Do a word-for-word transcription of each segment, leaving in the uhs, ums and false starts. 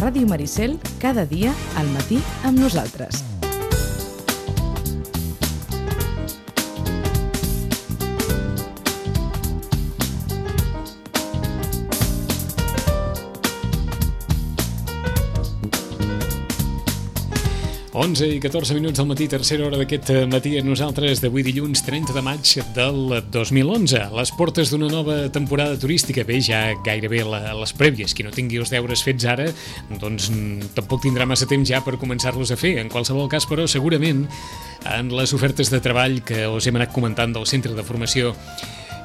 Ràdio Maricel, cada dia al matí amb nosaltres. onze i catorze minuts del matí, tercera hora d'aquest matí a nosaltres d'avui dilluns trenta de maig del dos mil onze. Les portes d'una nova temporada turística, bé, ja gairebé la, les prèvies. Qui no tingui els deures fets ara, doncs tampoc tindrà massa temps ja per començar-los a fer. En qualsevol cas, però, segurament, en les ofertes de treball que us hem anat comentant del Centre de Formació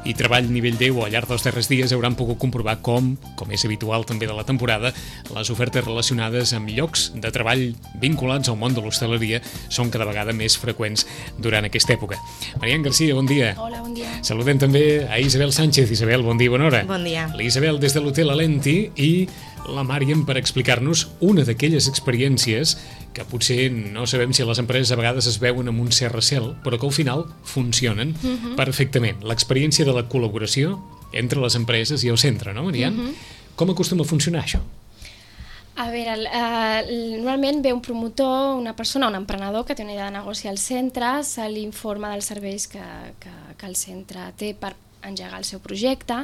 i Treball Nivell deu al llarg dels darrers dies hauran pogut comprovar com, com és habitual també de la temporada, les ofertes relacionades amb llocs de treball vinculats al món de l'hostaleria són cada vegada més freqüents durant aquesta època. Marian Garcia, bon dia. Hola, bon dia. Saludem també a Isabel Sánchez. Isabel, bon dia, bona hora. Bon dia. L'Isabel des de l'Hotel Alenti i la Marian per explicar-nos una d'aquelles experiències que potser no sabem si les empreses a vegades es veuen amb un cert recel, però que al final funcionen uh-huh. perfectament. L'experiència de la col·laboració entre les empreses i el centre, no, Marian? Uh-huh. Com acostuma a funcionar això? A veure, el, uh, normalment ve un promotor, una persona, un emprenedor que té una idea de negoci al centre, se li informa dels serveis que, que, que el centre té per engegar el seu projecte.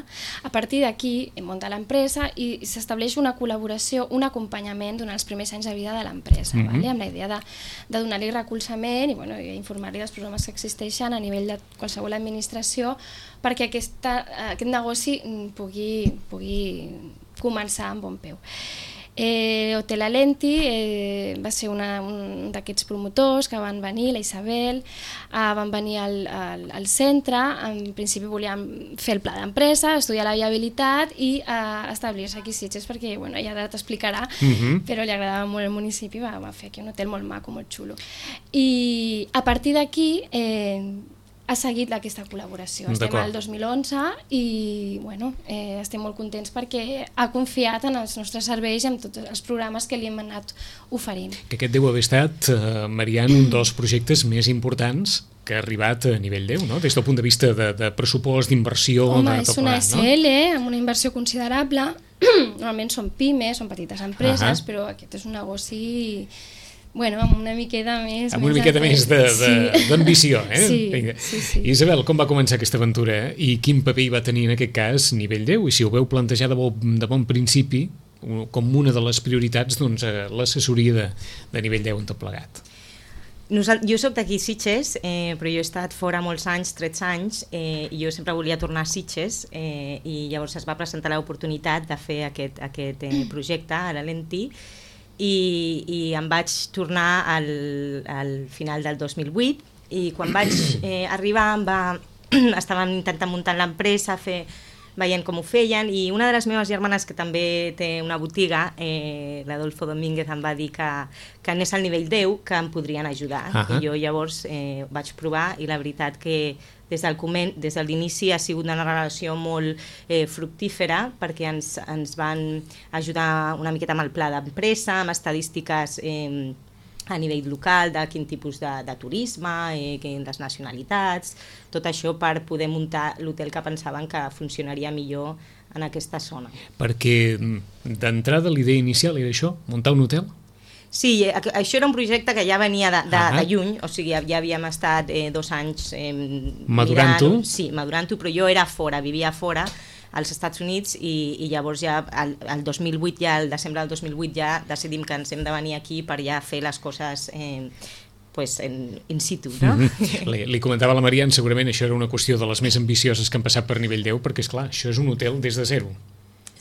A partir d'aquí munta l'empresa i s'estableix una col·laboració, un acompanyament durant els primers anys de vida de l'empresa, mm-hmm. vale? Amb la idea de, de donar-li recolzament i, bueno, i informar-li dels problemes que existeixen a nivell de qualsevol administració perquè aquesta, aquest negoci pugui, pugui començar amb bon peu. Eh, Hotel Alenti eh, va ser una, un d'aquests promotors que van venir, la Isabel, eh, van venir al, al, al centre. En principi volíem fer el pla d'empresa, estudiar la viabilitat i eh, establir-se aquí a Sitges perquè, bueno, ja t'explicarà, uh-huh. però li agradava molt el municipi, va, va fer aquí un hotel molt maco, molt xulo. I a partir d'aquí eh, ha seguit aquesta col·laboració. Estem al dos mil onze i bueno, eh, estem molt contents perquè ha confiat en els nostres serveis i en tots els programes que li hem anat oferint. Que aquest deu haver estat, eh, Marian, un dels projectes més importants que ha arribat a nivell deu, no? Des del punt de vista de, de pressupost, d'inversió... Home, de és una S L, no? Amb una inversió considerable. Normalment són pimes, són petites empreses, uh-huh. però aquest és un negoci... Bueno, amb una miqueta més... Amb una miqueta més d'ambició, eh? Sí, sí, sí. Isabel, com va començar aquesta aventura eh? I quin paper hi va tenir en aquest cas nivell deu? I si ho veu plantejar de bon, de bon principi, com una de les prioritats, doncs, l'assessoria de, de nivell deu en tot plegat. Jo soc d'aquí Sitges, eh, però jo he estat fora molts anys, tretze anys, eh, i jo sempre volia tornar a Sitges eh, i llavors es va presentar l'oportunitat de fer aquest, aquest eh, projecte a l'Alenti. I, i em vaig tornar al, al final del dos mil vuit i quan vaig eh, arribar em va, estàvem intentant muntar l'empresa, fer, veient com ho feien i una de les meves germanes que també té una botiga, eh, l'Adolfo Domínguez, em va dir que, que anés al nivell deu, que em podrien ajudar. Uh-huh. I jo llavors eh, vaig provar i la veritat que des del coment, des de l'inici ha sigut una relació molt eh, fructífera perquè ens, ens van ajudar una miqueta amb el pla d'empresa, amb estadístiques eh, a nivell local de quin tipus de, de turisme, eh, les nacionalitats, tot això per poder muntar l'hotel que pensaven que funcionaria millor en aquesta zona. Perquè d'entrada l'idea inicial era això, muntar un hotel? Sí, això era un projecte que ja venia de, de, de lluny, o sigui, ja havíem estat eh, dos anys eh, madurant-ho. Sí, madurant-ho, però jo era fora, vivia fora als Estats Units i, i llavors ja el, el dos mil vuit, ja el desembre del dos mil vuit ja decidim que ens hem de venir aquí per ja fer les coses eh, pues en, in situ, no? Mm-hmm. li, li comentava a la Marian, segurament això era una qüestió de les més ambicioses que han passat per nivell deu, perquè és clar, això és un hotel des de zero.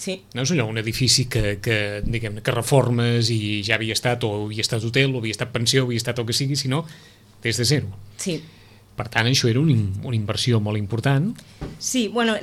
Sí. No és allò, un edifici que, que, diguem, que reformes i ja havia estat, o havia estat hotel, o havia estat pensió, o havia estat el que sigui, sinó des de zero. Sí. Per tant, això era un, una inversió molt important. Sí, bueno,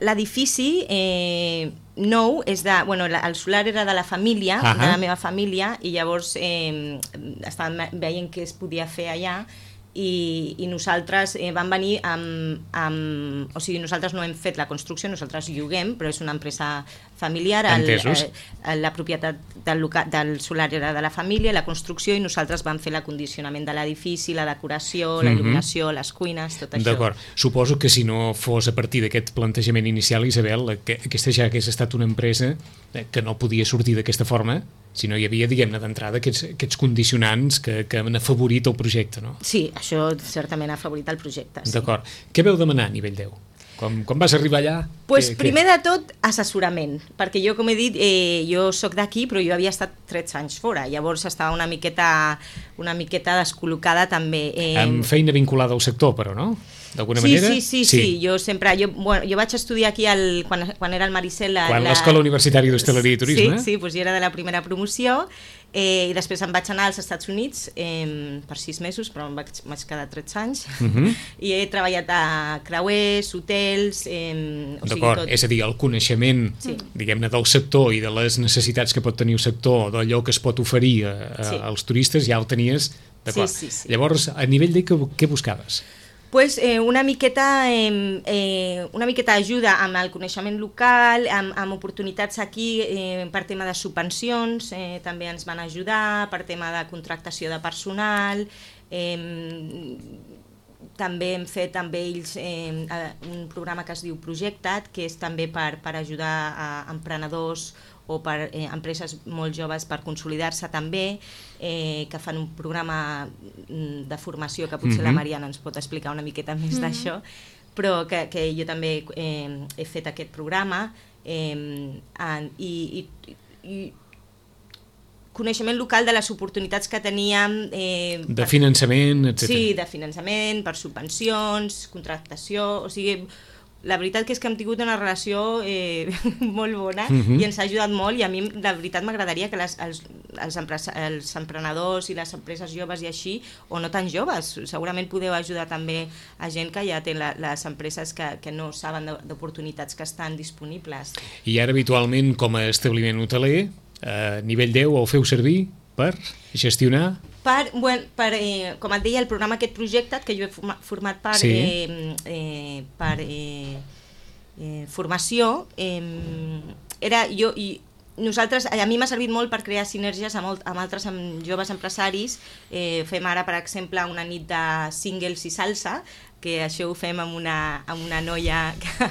l'edifici eh, nou és de... Bueno, la, el solar era de la família, uh-huh. de la meva família, i llavors eh, estàvem veient què es podia fer allà, i, i nosaltres eh, vam venir amb, amb... O sigui, nosaltres no hem fet la construcció, nosaltres lloguem, però és una empresa familiar, el, eh, la propietat del, local, del solar era de la família, la construcció, i nosaltres vam fer l'acondicionament de l'edifici, la decoració, la il·luminació, les cuines, tot això. D'acord. Suposo que si no fos a partir d'aquest plantejament inicial, Isabel, que aquesta ja hagués estat una empresa que no podia sortir d'aquesta forma, si no hi havia, diguem-ne, d'entrada aquests, aquests condicionants que, que han afavorit el projecte, no? Sí, això certament ha afavorit el projecte. Sí. D'acord. Què veu demanar a nivell deu? Com, com vas arribar allà? Pues que, primer que... de tot, assessorament, perquè jo, com he dit, eh, jo sóc d'aquí, però jo havia estat tretze anys fora, llavors estava una miqueta, una miqueta descol·locada també. Eh... Amb feina vinculada al sector, però, no? D'alguna sí, manera? Sí, sí, sí, sí, jo sempre, jo, bueno, jo vaig estudiar aquí el, quan, quan era al Maricel. La, quan l'Escola Universitària d'Hostaleria i Turisme? Sí, sí, doncs jo era de la primera promoció, eh, i després em vaig anar als Estats Units eh, per sis mesos, però em vaig, vaig quedar tretze anys, uh -huh. i he treballat a creuers, hotels... Eh, o D'acord, és a dir, el coneixement, sí. diguem-ne, del sector i de les necessitats que pot tenir el sector, d'allò que es pot oferir a, a, sí. als turistes, ja el tenies, d'acord. Sí, sí, sí. Llavors, a nivell de què, què buscaves? Pues, eh, una miqueta eh, eh, una miqueta ajuda amb el coneixement local, amb, amb oportunitats aquí eh, per tema de subvencions, eh, també ens van ajudar, per tema de contractació de personal, eh, també hem fet amb ells eh, un programa que es diu Projecta't, que és també per, per ajudar a emprenedors o per eh, empreses molt joves per consolidar-se també, eh, que fan un programa de formació que potser mm-hmm. la Mariana ens pot explicar una miqueta més mm-hmm. d'això, però que, que jo també eh, he fet aquest programa eh, en, i, i, i coneixement local de les oportunitats que teníem... Eh, de per, finançament, etcètera. Sí, de finançament, per subvencions, contractació, o sigui... La veritat que és que hem tingut una relació eh, molt bona uh-huh. i ens ha ajudat molt, i a mi la veritat m'agradaria que les, els, els, els emprenedors i les empreses joves i així, o no tan joves, segurament podeu ajudar també a gent que ja té la, les empreses que, que no saben d'oportunitats que estan disponibles. I ara habitualment com a establiment hoteler, a nivell deu ho feu servir per gestionar... Per, bueno, per, eh, com et deia, el programa aquest projecte que jo he format part sí. eh, eh, per eh, eh, formació, eh, era jo i nosaltres, a mi m'ha servit molt per crear sinergies amb, amb altres amb joves empresaris. Eh, fem ara, per exemple, una nit de singles i salsa, que això ho fem amb una, amb una noia, que,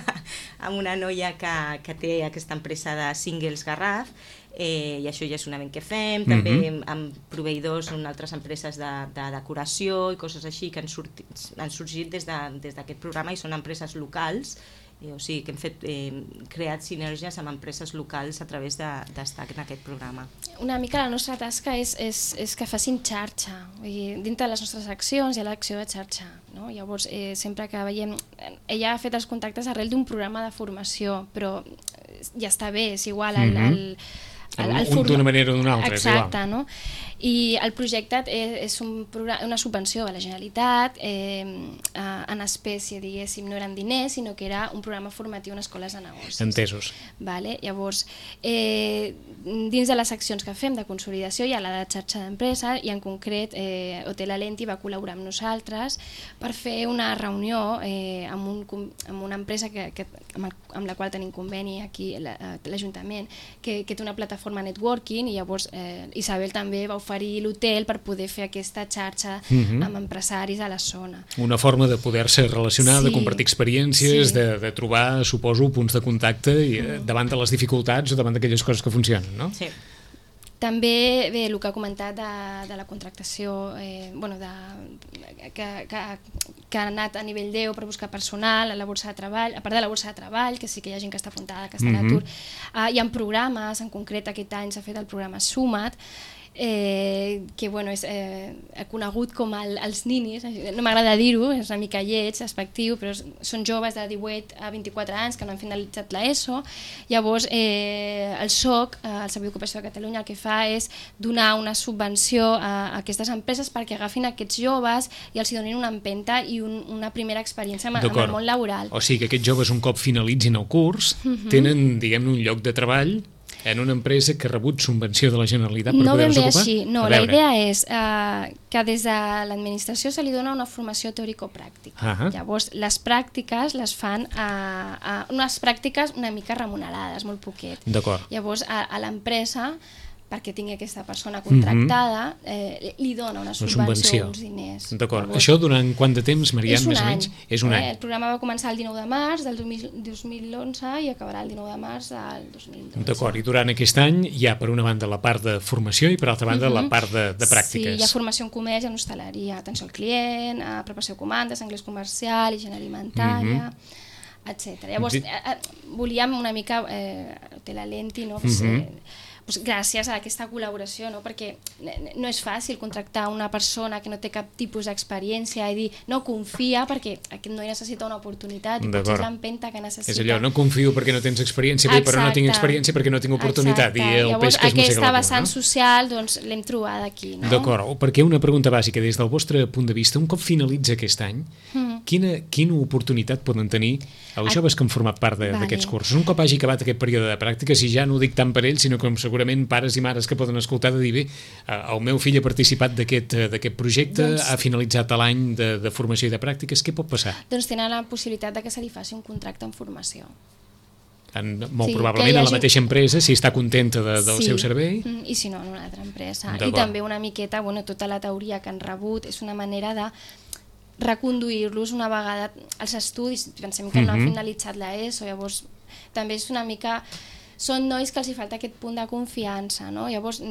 amb una noia que, que té aquesta empresa de singles Garraf, eh, i això ja és un event que fem, també mm-hmm. amb proveïdors en altres empreses de, de decoració i coses així que han sortit, han sorgit des d'aquest de, programa, i són empreses locals. Eh, o sigui que hem fet, eh, creat sinergies amb empreses locals a través d'estar de, en aquest programa. Una mica la nostra tasca és, és, és que facin xarxa. Vull dir, dintre de les nostres accions hi ha l'acció de xarxa. No? Llavors, eh, sempre que veiem... Ella ha fet els contactes arrel d'un programa de formació, però ja està bé, és igual al... Mm-hmm. al El, el un d'una manera o d'una altra. Exacte, no? I el projecte és un programa, una subvenció de la Generalitat, eh, en espècie, diguéssim, no eren diners, sinó que era un programa formatiu en escoles de negocis. Entesos. Vale? Llavors, eh, dins de les accions que fem de consolidació hi ha la de xarxa d'empresa, i en concret eh, Hotel Alenti va col·laborar amb nosaltres per fer una reunió eh, amb, un, amb una empresa que, que, amb, el, amb la qual tenim conveni aquí l'Ajuntament, que, que té una plataforma networking, i llavors eh, Isabel també va oferir l'hotel per poder fer aquesta xarxa uh-huh. amb empresaris a la zona. Una forma de poder-se relacionar, sí. de compartir experiències, sí. de, de trobar, suposo, punts de contacte i, uh-huh. davant de les dificultats o davant d'aquelles coses que funcionen, no? Sí. També, bé, el que ha comentat de, de la contractació, eh, bueno, de, que, que, que ha anat a nivell deu per buscar personal a la borsa de treball, a part de la borsa de treball, que sí que hi ha gent que està afrontada, que està a l'atur, mm-hmm. uh, hi ha programes, en concret aquest any s'ha fet el programa Suma't, eh, que bueno, és eh, conegut com el, els ninis, no m'agrada dir-ho, és una mica lleig, despectiu, però són joves de divuit a vint-i-quatre anys que no han finalitzat l'ESO. Llavors eh, el S O C, eh, el Servei d'Ocupació de Catalunya, el que fa és donar una subvenció a, a aquestes empreses perquè agafin aquests joves i els donin una empenta i un, una primera experiència amb, amb el món laboral. O sigui que aquests joves, un cop finalitzin el curs, uh-huh. tenen, diguem-ne, un lloc de treball en una empresa que ha rebut subvenció de la Generalitat per no poder-se ocupar? No ben bé així, no, la idea és eh, que des de l'administració se li dona una formació teòrico-pràctica. Ah, llavors, les pràctiques les fan a, a unes pràctiques una mica remunerades, molt poquet. D'acord. Llavors, a, a l'empresa, perquè tingui aquesta persona contractada, eh, li dona una subvenció, uns diners. D'acord. Això durant quant de temps, Marian, és un més o any. menys? És un eh, any. El programa va començar el dinou de març del dos mil onze i acabarà el dinou de març del dos mil dotze. D'acord, i durant aquest any hi ha per una banda la part de formació i per altra banda uh-huh. la part de, de pràctiques. Sí, hi ha formació en comerç, en hostaleria, atenció al client, a preparació de comandes, anglès comercial, higiene alimentària, uh-huh. etcètera. Llavors, eh, eh, volíem una mica, eh, té la lenti, no? Pues, uh-huh. eh, pues, gràcies a aquesta col·laboració, no? Perquè no és fàcil contractar una persona que no té cap tipus d'experiència i dir, no, confia perquè aquest noi necessita una oportunitat i potser és l'empenta que necessita. És allò, no confio perquè no tens experiència, bé, però no tinc experiència perquè no tinc oportunitat. Exacte. I el llavors, peix que es mossega la cua, aquesta vessant no? social doncs, l'hem trobat aquí. No? D'acord, perquè una pregunta bàsica, des del vostre punt de vista, un cop finalitza aquest any, mm. quina, quina oportunitat poden tenir els joves que han format part d'aquests vale. cursos? Un cop hagi acabat aquest període de pràctiques, i ja no ho dic tant per ells, sinó com segurament pares i mares que poden escoltar de dir, bé, el meu fill ha participat d'aquest projecte, doncs, ha finalitzat l'any de, de formació i de pràctiques, què pot passar? Doncs tenen la possibilitat de que se li faci un contracte en formació. En, molt sí, probablement hagi... a la mateixa empresa, si està contenta de, del sí. seu servei. I si no, en una altra empresa. I també una miqueta, bueno, tota la teoria que han rebut és una manera de reconduir-los una vegada als estudis. Pensem que uh-huh. no han finalitzat l'ESO, llavors també és una mica... Són nois que els hi falta aquest punt de confiança, no? Llavors,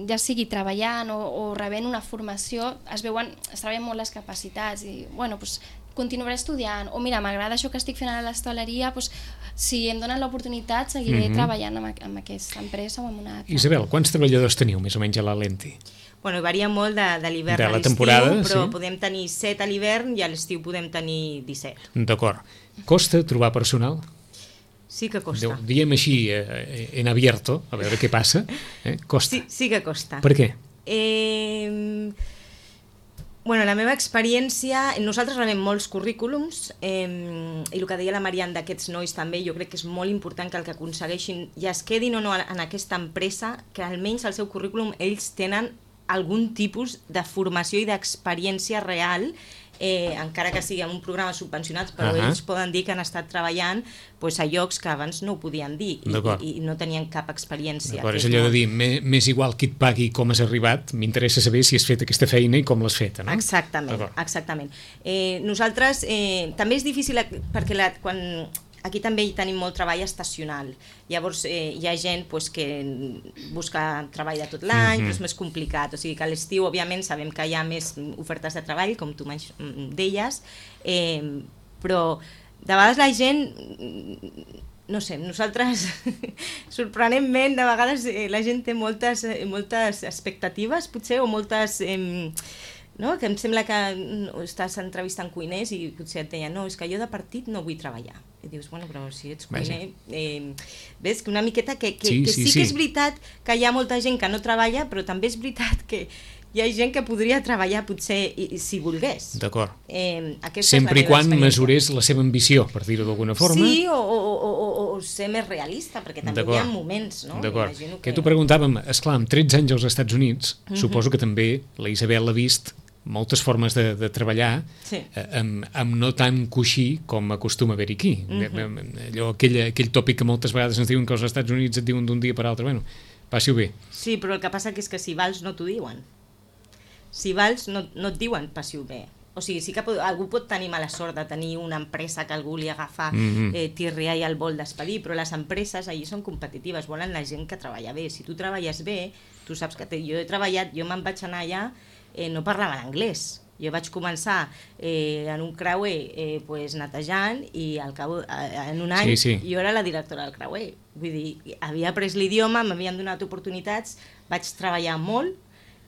ja sigui treballant o, o rebent una formació, es veuen, es treballen molt les capacitats i, bueno, doncs, continuaré estudiant, o mira, m'agrada això que estic fent a l'hostaleria, doncs, si em donen l'oportunitat seguiré mm-hmm. treballant amb, amb aquesta empresa o amb una altra. Isabel, quants treballadors teniu més o menys a la Lenti? Bueno, varia molt de, de l'hivern a l'estiu, però sí? podem tenir set a l'hivern i a l'estiu podem tenir disset. D'acord. Costa trobar personal? Sí que costa. Diem així, eh, en abierto, a veure què passa. Eh? Costa. Sí, sí que costa. Per què? Eh, bueno, la meva experiència, nosaltres rebem molts currículums eh, i el que deia la Marian d'aquests nois també, jo crec que és molt important que el que aconsegueixin i es quedin o no en aquesta empresa, que almenys al seu currículum ells tenen algun tipus de formació i d'experiència real, eh, encara que sigui en un programa subvencionat, però uh-huh. ells poden dir que han estat treballant pues, a llocs que abans no ho podien dir i, i, i no tenien cap experiència. D'acord, és allò de dir, més igual qui et pagui com has arribat, m'interessa saber si has fet aquesta feina i com l'has feta, no? Exactament, exactament. Eh, nosaltres, eh, també és difícil perquè la, quan... Aquí també hi tenim molt treball estacional. Llavors eh, hi ha gent pues, que busca treball de tot l'any, mm-hmm. però és més complicat. O sigui que a l'estiu, òbviament, sabem que hi ha més ofertes de treball, com tu deies, eh, però de vegades la gent... No sé, nosaltres, sorprenentment, de vegades eh, la gent té moltes, eh, moltes expectatives, potser, o moltes... Eh, no? Que em sembla que estàs entrevistant cuiners i potser et deien, no, és que jo de partit no vull treballar. I dius, bueno, però si ets cuiner... Eh, ves que una miqueta que, que, sí, que sí, sí que és veritat que hi ha molta gent que no treballa, però també és veritat que hi ha gent que podria treballar potser i, si volgués. D'acord. Eh, Sempre i quan mesurés la seva ambició, per dir-ho d'alguna forma. Sí, o, o, o, o ser més realista, perquè també hi ha moments, no? D'acord. Que... que t'ho preguntàvem, esclar, amb tretze anys als Estats Units, uh-huh. suposo que també la Isabel ha vist moltes formes de, de treballar sí. eh, amb, amb no tant coixí com acostuma a haver-hi aquí. Uh-huh. Allò, aquell, aquell tòpic que moltes vegades ens diuen que als Estats Units et diuen d'un dia per altre, bueno, passi-ho bé. Sí, però el que passa que és que si vals no t'ho diuen. Si vals no, no et diuen passi-ho bé. O sigui, sí que pot, algú pot tenir mala sort de tenir una empresa que algú li agafa mm-hmm. eh, tirria i el vol despedir, però les empreses allí són competitives, volen la gent que treballa bé. Si tu treballes bé, tu saps que te, jo he treballat, jo me'n vaig anar allà, eh, no parlaven anglès. Jo vaig començar eh, en un creuer eh, pues, netejant i al cabo, eh, en un any sí, sí. jo era la directora del creuer. Vull dir, havia après l'idioma, m'havien donat oportunitats, vaig treballar molt,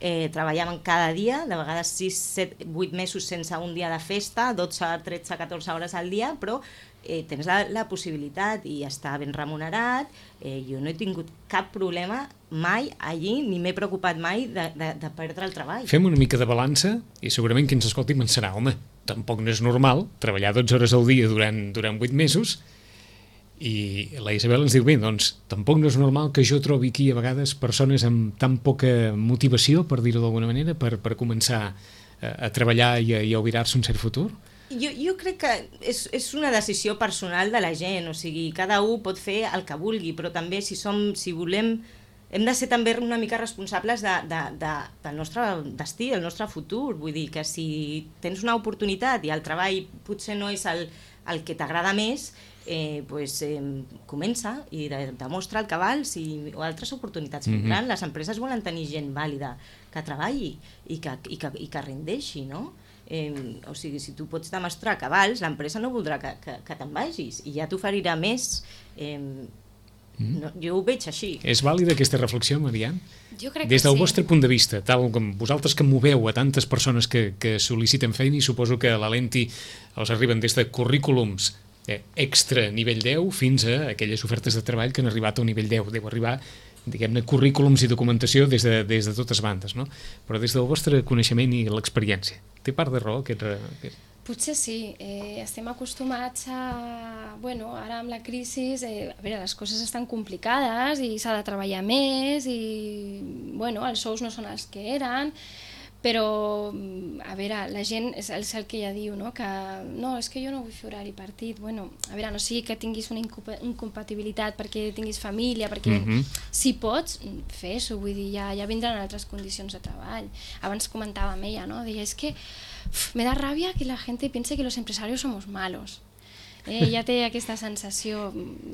eh, treballàvem cada dia, de vegades sis, set, vuit mesos sense un dia de festa, dotze, tretze, catorze hores al dia, però eh, tens la, la possibilitat i està ben remunerat. Eh, jo no he tingut cap problema mai allí, ni m'he preocupat mai de, de, de perdre el treball. Fem una mica de balança i segurament qui ens escolti pensarà, home, tampoc no és normal treballar dotze hores al dia durant, durant vuit mesos I la Isabel ens diu, bé, doncs tampoc no és normal que jo trobi aquí a vegades persones amb tan poca motivació, per dir-ho d'alguna manera, per, per començar a, a treballar i a, i a obirar-se un cert futur. Jo, jo crec que és, és una decisió personal de la gent, o sigui, cada un pot fer el que vulgui, però també si som, si volem, hem de ser també una mica responsables de, de, de, del nostre destí, del nostre futur. Vull dir que si tens una oportunitat i el treball potser no és el, el que t'agrada més, eh, pues, eh, comença i de, demostra el que vals i o altres oportunitats vindran. Mm-hmm. Les empreses volen tenir gent vàlida que treballi i que, i que, i que rendeixi, no? Eh, o sigui, si tu pots demostrar que vals, l'empresa no voldrà que, que, que te'n vagis i ja t'oferirà més. Eh, no, jo ho veig així. És vàlida aquesta reflexió, Marian? Jo crec Des del que sí. vostre punt de vista, tal com vosaltres que moveu a tantes persones que, que sol·liciten feina, i suposo que a l'Alenti els arriben des de currículums eh, extra nivell deu fins a aquelles ofertes de treball que han arribat a un nivell deu. Deu arribar, diguem-ne, currículums i documentació des de, des de totes bandes, no? Però des del vostre coneixement i l'experiència, té part de raó aquest... aquest... Potser sí, eh, estem acostumats a... Bueno, ara amb la crisi, eh, a veure, les coses estan complicades i s'ha de treballar més i, bueno, els sous no són els que eren, però, a veure, la gent, és el, és el que ja diu, no?, que no, és que jo no vull fer horari partit. Bueno, a veure, no sigui que tinguis una incompatibilitat perquè tinguis família, perquè mm-hmm. si pots, fes-ho, vull dir, ja, ja vindran altres condicions de treball. Abans comentava amb ella, no?, deia, és que uf, me da rabia que la gente piense que los empresarios somos malos. Eh, ja té aquesta sensació,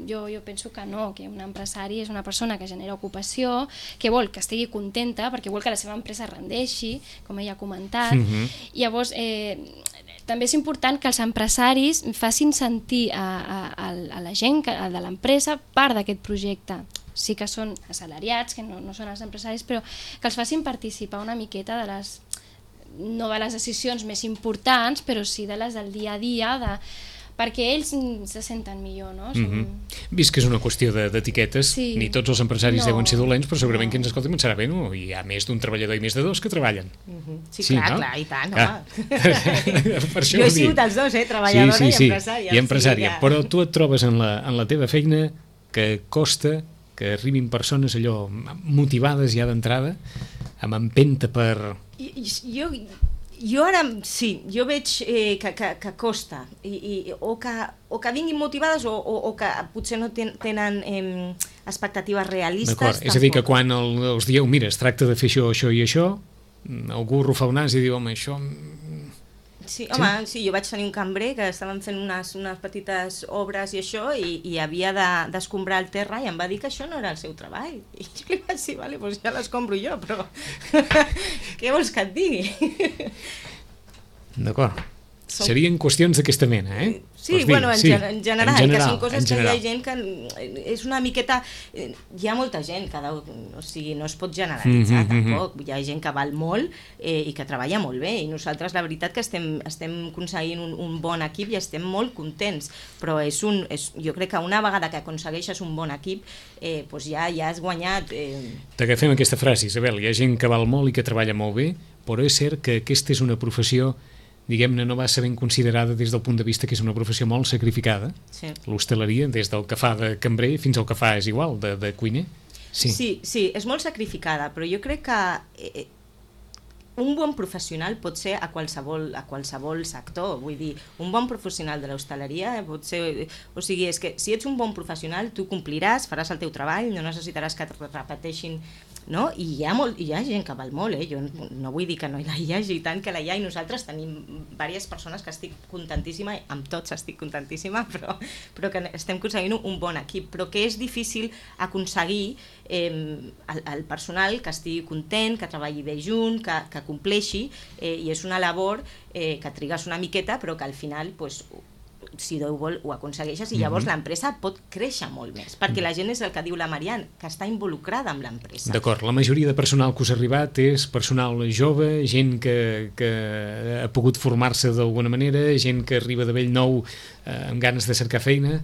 jo, jo penso que no, que un empresari és una persona que genera ocupació, que vol que estigui contenta perquè vol que la seva empresa rendeixi, com ella ha comentat. Mm-hmm. Llavors, eh, també és important que els empresaris facin sentir a, a, a la gent que, a de l'empresa part d'aquest projecte. Sí que són assalariats, que no, no són els empresaris, però que els facin participar una miqueta de les, no de les decisions més importants, però sí de les del dia a dia, de perquè ells se senten millor, no? Som... Mm-hmm. Vist que és una qüestió d'etiquetes, de, sí. Ni tots els empresaris no. deuen ser dolents, però segurament no. que ens escolten serà bé, no? Hi ha més d'un treballador i més de dos que treballen. Mm-hmm. Sí, sí, clar, no? clar, i tant, ah. home. Jo he sigut els dos, eh? Treballadora sí, sí, sí. i empresària. I empresària, sí, ja. Però tu et trobes en la, en la teva feina que costa que arribin persones allò motivades ja d'entrada, amb empenta per... Jo... Jo ara, sí, jo veig eh, que, que, que costa, I, i, o, que, o que vinguin motivades o, o, o que potser no ten, tenen eh, expectatives realistes. D'acord, és a dir, que quan el, els dieu, mira, es tracta de fer això, això i això, algú rufa el nas i diu, home, això... Sí, home, sí? sí, jo vaig tenir un cambrer que estaven fent unes, unes petites obres i això, i, i havia d'escombrar de, el terra i em va dir que això no era el seu treball. I jo li vaig dir, vale, doncs ja l'escombro jo, però què vols que et digui? D'acord. Som... Serien qüestions d'aquesta mena, eh? Sí, dir, bueno, en, sí. en, general, en general, que són coses que hi ha gent que és una miqueta... Hi ha molta gent, cada, o sigui, no es pot generalitzar mm-hmm, tampoc, hi ha gent que val molt eh, i que treballa molt bé, i nosaltres la veritat que estem, estem aconseguint un, un bon equip i estem molt contents, però és un, és, jo crec que una vegada que aconsegueixes un bon equip, eh, doncs ja, ja has guanyat... Eh... T'agafem aquesta frase, Isabel, hi ha gent que val molt i que treballa molt bé, però és cert que aquesta és una professió, diguem-ne, no va ser ben considerada des del punt de vista que és una professió molt sacrificada. Sí. L'hostaleria, des del que fa de cambrer fins al que fa és igual, de, de cuiner. Sí. sí, sí, és molt sacrificada, però jo crec que eh, un bon professional pot ser a qualsevol, a qualsevol sector. Vull dir, un bon professional de l'hostaleria pot ser... O sigui, és que si ets un bon professional, tu compliràs, faràs el teu treball, no necessitaràs que et repeteixin... No? I hi ha, molt, hi ha gent que val molt, eh? Jo no vull dir que no hi hagi, tant que la hi ha, i nosaltres tenim diverses persones que estic contentíssima, amb tots estic contentíssima, però, però que estem aconseguint un bon equip, però que és difícil aconseguir eh, el, el personal que estigui content, que treballi bé junt, que, que compleixi, eh, i és una labor eh, que trigues una miqueta, però que al final... Pues, si Déu vol, ho aconsegueixes, i llavors mm-hmm. l'empresa pot créixer molt més, perquè la gent és el que diu la Marian, que està involucrada amb l'empresa. D'acord, la majoria de personal que us ha arribat és personal jove, gent que, que ha pogut formar-se d'alguna manera, gent que arriba de bell nou eh, amb ganes de cercar feina...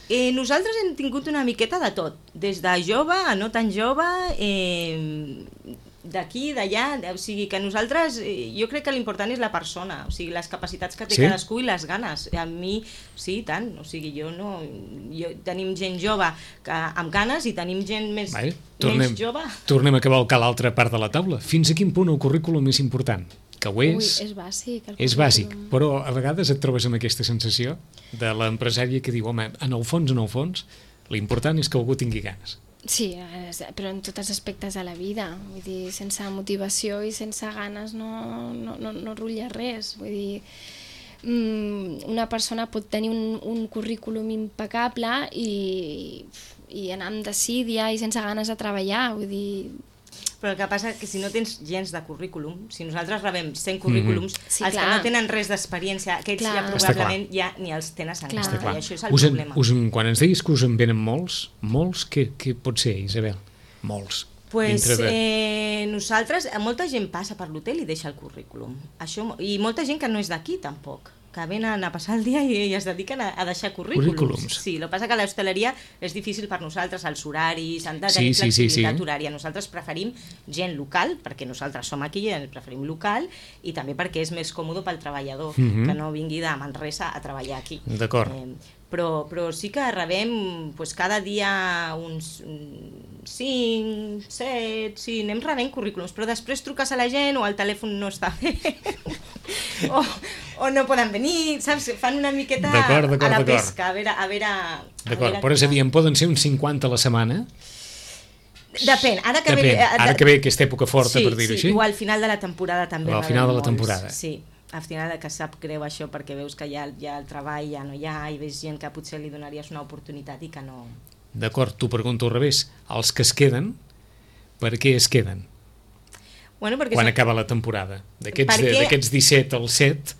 Eh, nosaltres hem tingut una miqueta de tot, des de jove a no tan jove, eh, d'aquí, d'allà, o sigui que nosaltres, jo crec que l'important és la persona, o sigui, les capacitats que té sí? cadascú i les ganes. A mi, sí, tant, o sigui, jo no... Jo, tenim gent jove que, amb ganes i tenim gent més, vale, tornem, menys jove. Tornem a cavalcar l'altra part de la taula. Fins a quin punt el currículum és important? Que ho és, Ui, és bàsic. És bàsic, però a vegades et trobes amb aquesta sensació de l'empresària que diu, home, en el fons, en el fons, l'important és que algú tingui ganes. Sí, però en tots els aspectes de la vida. Vull dir, sense motivació i sense ganes no, no, no, no rutlla res. Vull dir, una persona pot tenir un, un currículum impecable i, i anar amb desídia i sense ganes de treballar. Vull dir... Però el que passa és que si no tens gens de currículum, si nosaltres rebem cent currículums, mm-hmm. sí, els clar. que no tenen res d'experiència, aquests clar. ja probablement ja ni els tenen encara, i això és el us en, problema. Us en, quan ens diguis que us en venen molts, molts, què, què pot ser, Isabel? Molts. Pues, de... eh, nosaltres, molta gent passa per l'hotel i deixa el currículum. Això, i molta gent que no és d'aquí tampoc, que venen a passar el dia i, i es dediquen a, a deixar currículums. currículums. Sí, el que passa que l'hostaleria és difícil per nosaltres, els horaris, han de tenir sí, flexibilitat sí, sí, sí. horària. Nosaltres preferim gent local, perquè nosaltres som aquí i preferim local, i també perquè és més còmode pel treballador, mm-hmm. que no vingui de Manresa a treballar aquí. D'acord. Eh, però, però sí que rebem pues, cada dia uns cinc, set, sí, anem rebent currículums, però després truques a la gent o el telèfon no està bé o, o no poden venir, saps? Fan una miqueta d'acord, d'acord, a la d'acord. pesca, a veure... A veure, a d'acord, veure però és a dir, en poden ser uns cinquanta a la setmana? Depèn, ara que, Depèn. Ve, ara que ve aquesta època forta, sí, per dir-ho sí, així. O al final de la temporada també. O al final de la temporada. Sí, al final que sap greu això perquè veus que ja, ja el treball ja no hi ha i veus gent que potser li donaries una oportunitat i que no... D'acord, t'ho pregunto al revés. Els que es queden, per què es queden? Bueno, perquè quan són... acaba la temporada? D'aquests perquè... disset als set,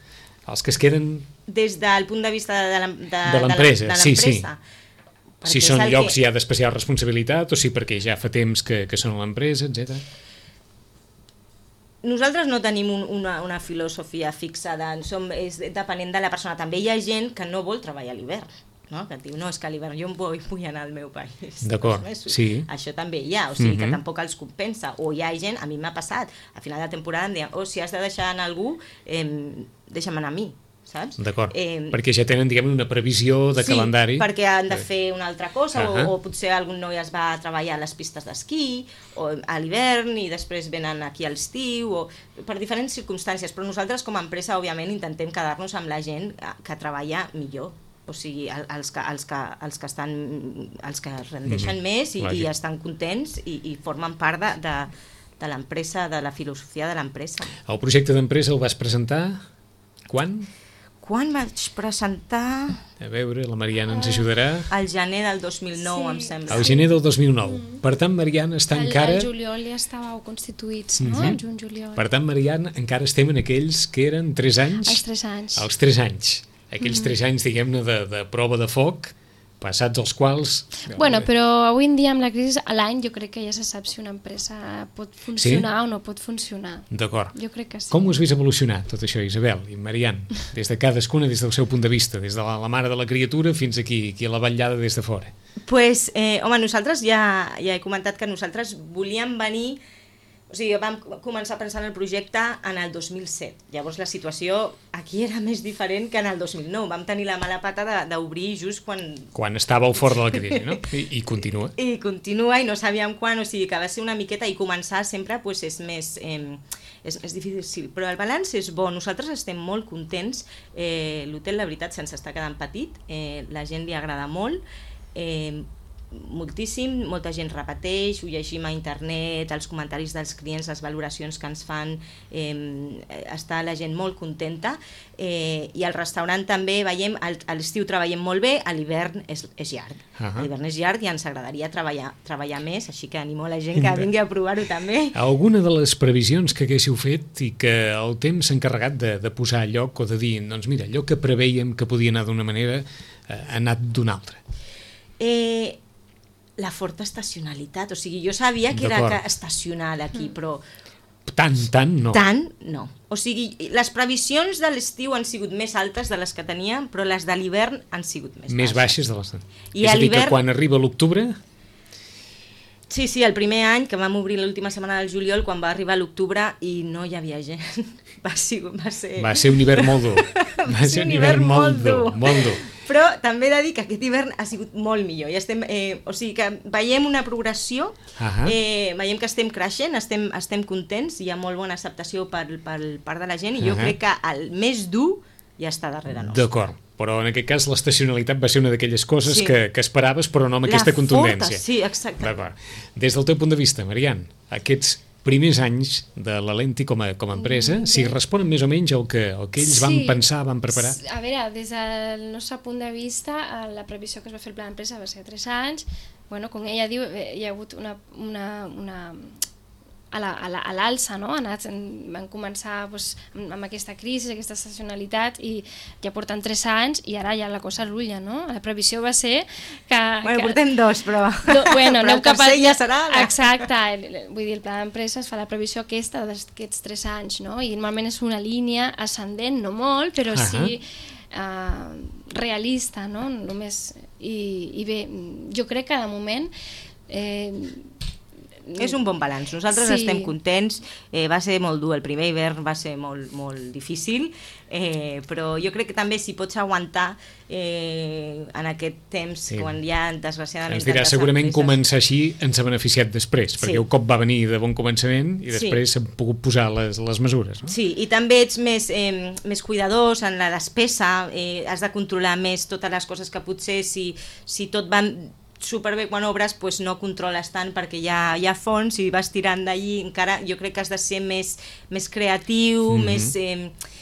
els que es queden... Des del punt de vista de l'empresa, de l'empresa, sí, sí. Perquè si són llocs que... ja d'especial responsabilitat o si perquè ja fa temps que, que són a l'empresa, etcètera. Nosaltres no tenim un, una, una filosofia fixada, som, és depenent de la persona. També hi ha gent que no vol treballar a l'hivern, no? Que et diu, no, és que a l'hivern jo em vull, vull anar al meu país. D'acord, sí. Això també hi ha, o sigui mm-hmm. que tampoc els compensa. O hi ha gent, a mi m'ha passat, a final de temporada em diuen, oh, si has de deixar anar algú, eh, deixa'm anar a mi. Saps? D'acord, eh, perquè ja tenen, diguem, una previsió de sí, calendari. Sí, perquè han de fer una altra cosa, uh -huh. o, o potser algun noi es va a treballar a les pistes d'esquí, o a l'hivern, i després venen aquí a l'estiu, o per diferents circumstàncies, però nosaltres com a empresa, òbviament, intentem quedar-nos amb la gent que treballa millor, o sigui, els que, els que, els que, estan, els que rendeixen mm-hmm. més i, i estan contents i, i formen part de, de, de l'empresa, de la filosofia de l'empresa. El projecte d'empresa el vas presentar quan? Quan vaig presentar... A veure, la Mariana ens ajudarà. Al gener del dos mil nou, sí. em sembla. Al gener del dos mil nou. Mm. Per tant, Mariana, està el, encara... El juliol ja estàveu constituïts, no? Mm-hmm. El juny-juliol. Per tant, Mariana, encara estem en aquells que eren tres anys? Els tres anys. Els tres anys. Aquells mm. tres anys, diguem-ne, de, de prova de foc, passats els quals... Bueno, però avui en dia amb la crisi a l'any jo crec que ja se sap si una empresa pot funcionar sí? o no pot funcionar. D'acord. Jo crec que sí. Com ho has vist evolucionar tot això, Isabel i Marian? Des de cadascuna, des del seu punt de vista, des de la, la mare de la criatura fins aquí, aquí a la vetllada des de fora. Pues, eh, home, nosaltres ja, ja he comentat que nosaltres volíem venir... O sigui, vam començar a pensar en el projecte en el dos mil set. Llavors la situació aquí era més diferent que en el dos mil nou. Vam tenir la mala pata d'obrir just quan... Quan estàveu fora de la crisi, no? I, i continua. I continua i no sabíem quan, o sigui que va ser una miqueta i començar sempre pues, és més... Eh, és, és difícil, però el balanç és bo. Nosaltres estem molt contents. Eh, L'hotel, la veritat, se'ns està quedant petit. Eh, la gent li agrada molt. Eh, moltíssim, molta gent repeteix, ho llegim a internet, els comentaris dels clients, les valoracions que ens fan, eh, està la gent molt contenta, eh, i al restaurant també veiem, a l'estiu treballem molt bé, a l'hivern és, és llarg, uh -huh. a l'hivern és llarg i ens agradaria treballar, treballar més, així que animo a la gent que vingui a provar-ho també. Alguna de les previsions que haguéssiu fet i que el temps s'ha encarregat de, de posar a lloc o de dir, doncs mira, allò que preveiem que podia anar d'una manera eh, ha anat d'una altra? Eh... La forta estacionalitat, o sigui, jo sabia que era que estacional aquí, però... Tant, tant, no. Tant, no. O sigui, les previsions de l'estiu han sigut més altes de les que teníem, però les de l'hivern han sigut més, més baixes. baixes de les... I és a dir, que quan arriba l'octubre... Sí, sí, el primer any que vam obrir l'última setmana del juliol, quan va arribar l'octubre i no hi havia gent. Va ser... Va ser, va ser un hivern molt dur. Va ser un hivern molt dur. Molt dur. Però també he de dir que aquest hivern ha sigut molt millor. Ja estem, eh, o sigui que veiem una progressió, uh-huh. eh, veiem que estem creixent, estem, estem contents, hi ha molt bona acceptació per, per part de la gent i jo uh-huh. crec que el més dur ja està darrere nostre. D'acord, però en aquest cas l'estacionalitat va ser una d'aquelles coses sí. que, que esperaves però no amb aquesta la contundència. Forta, sí, exacte. D'acord. Des del teu punt de vista, Marian, aquests primers anys de la Lenti com a, com a empresa, mm, si responen més o menys al que, al que ells sí. van pensar, van preparar? A veure, des del nostre punt de vista, la previsió que es va fer el pla d'empresa va ser tres anys. Bueno, com ella diu, hi ha hagut una... una, una a l'alça, no? Anat, van començar doncs, amb aquesta crisi, aquesta estacionalitat i ja porten tres anys i ara ja la cosa rulla, no? La previsió va ser que... Bueno, que, portem dos, però... Do, bueno, però el tercer a... ja serà... La... Exacte, vull dir, el pla d'empresa es fa la previsió aquesta d'aquests tres anys, no? I normalment és una línia ascendent, no molt, però uh-huh. sí uh, realista, no? Només, i, i bé, jo crec que de moment... Eh, és un bon balanç, nosaltres sí. estem contents, eh, va ser molt dur, el primer hivern va ser molt, molt difícil, eh, però jo crec que també si pots aguantar eh, en aquest temps, sí. quan ja desgraciadament... Ens dirà, segurament empreses... començar així ens ha beneficiat després, perquè sí. un cop va venir de bon començament i després s'han sí. pogut posar les, les mesures. No? Sí, i també ets més, eh, més cuidadós en la despesa, eh, has de controlar més totes les coses que potser si, si tot va... superbé quan obres, pues no controles tant perquè hi ha, hi ha fons i vas tirant d'allí, encara jo crec que has de ser més, més creatiu, mm-hmm. més... Eh,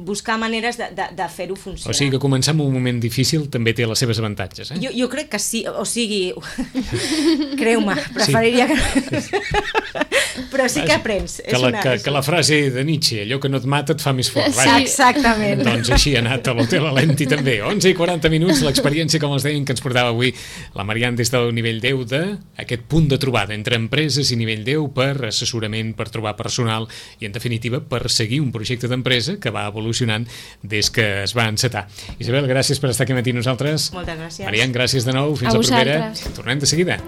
buscar maneres de, de, de fer-ho funcionar. O sigui que començar en un moment difícil també té les seves avantatges, eh? Jo, jo crec que sí, o sigui, creu-me, preferiria sí. que... Però sí que aprens. Que la, que, que la frase de Nietzsche, allò que no et mata et fa més fort. Sí, exactament. Doncs així ha anat a l'Hotel Lenti també. onze i quaranta minuts, l'experiència, com els deien, que ens portava avui la Marian des del nivell deu de aquest punt de trobada entre empreses i nivell deu per assessorament, per trobar personal i, en definitiva, per seguir un projecte d'empresa que va evolucionant des que es va encetar. Isabel, gràcies per estar aquí matí nosaltres. Moltes gràcies. Marian, gràcies de nou. Fins a la propera. vosaltres. Tornem de seguida.